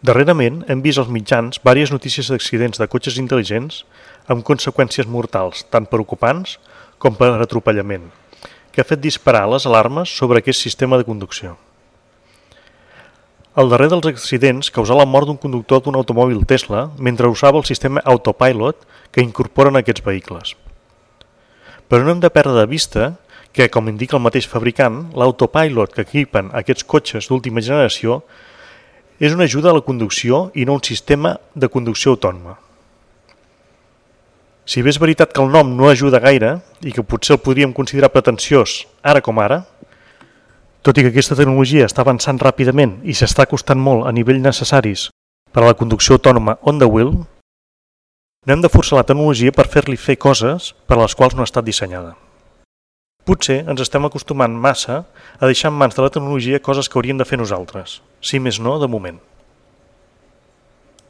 Darrerament hem vist als mitjans diverses notícies d'accidents de cotxes intel·ligents amb conseqüències mortals, tant per ocupants com per atropellament, que ha fet disparar les alarmes sobre aquest sistema de conducció. El darrer dels accidents causà la mort d'un conductor d'un automòbil Tesla mentre usava el sistema Autopilot que incorporen aquests vehicles. Però no hem de perdre de vista que, com indica el mateix fabricant, l'autopilot que equipen aquests cotxes d'última generació és una ajuda a la conducció i no un sistema de conducció autònoma. Si bé és veritat que el nom no ajuda gaire i que potser el podríem considerar pretensiós ara com ara, tot i que aquesta tecnologia està avançant ràpidament i s'està costant molt a nivell necessaris per a la conducció autònoma on the wheel, no hem de forçar la tecnologia per fer-li fer coses per a les quals no ha estat dissenyada. Potser ens estem acostumant massa a deixar en mans de la tecnologia coses que hauríem de fer nosaltres, si més no de moment.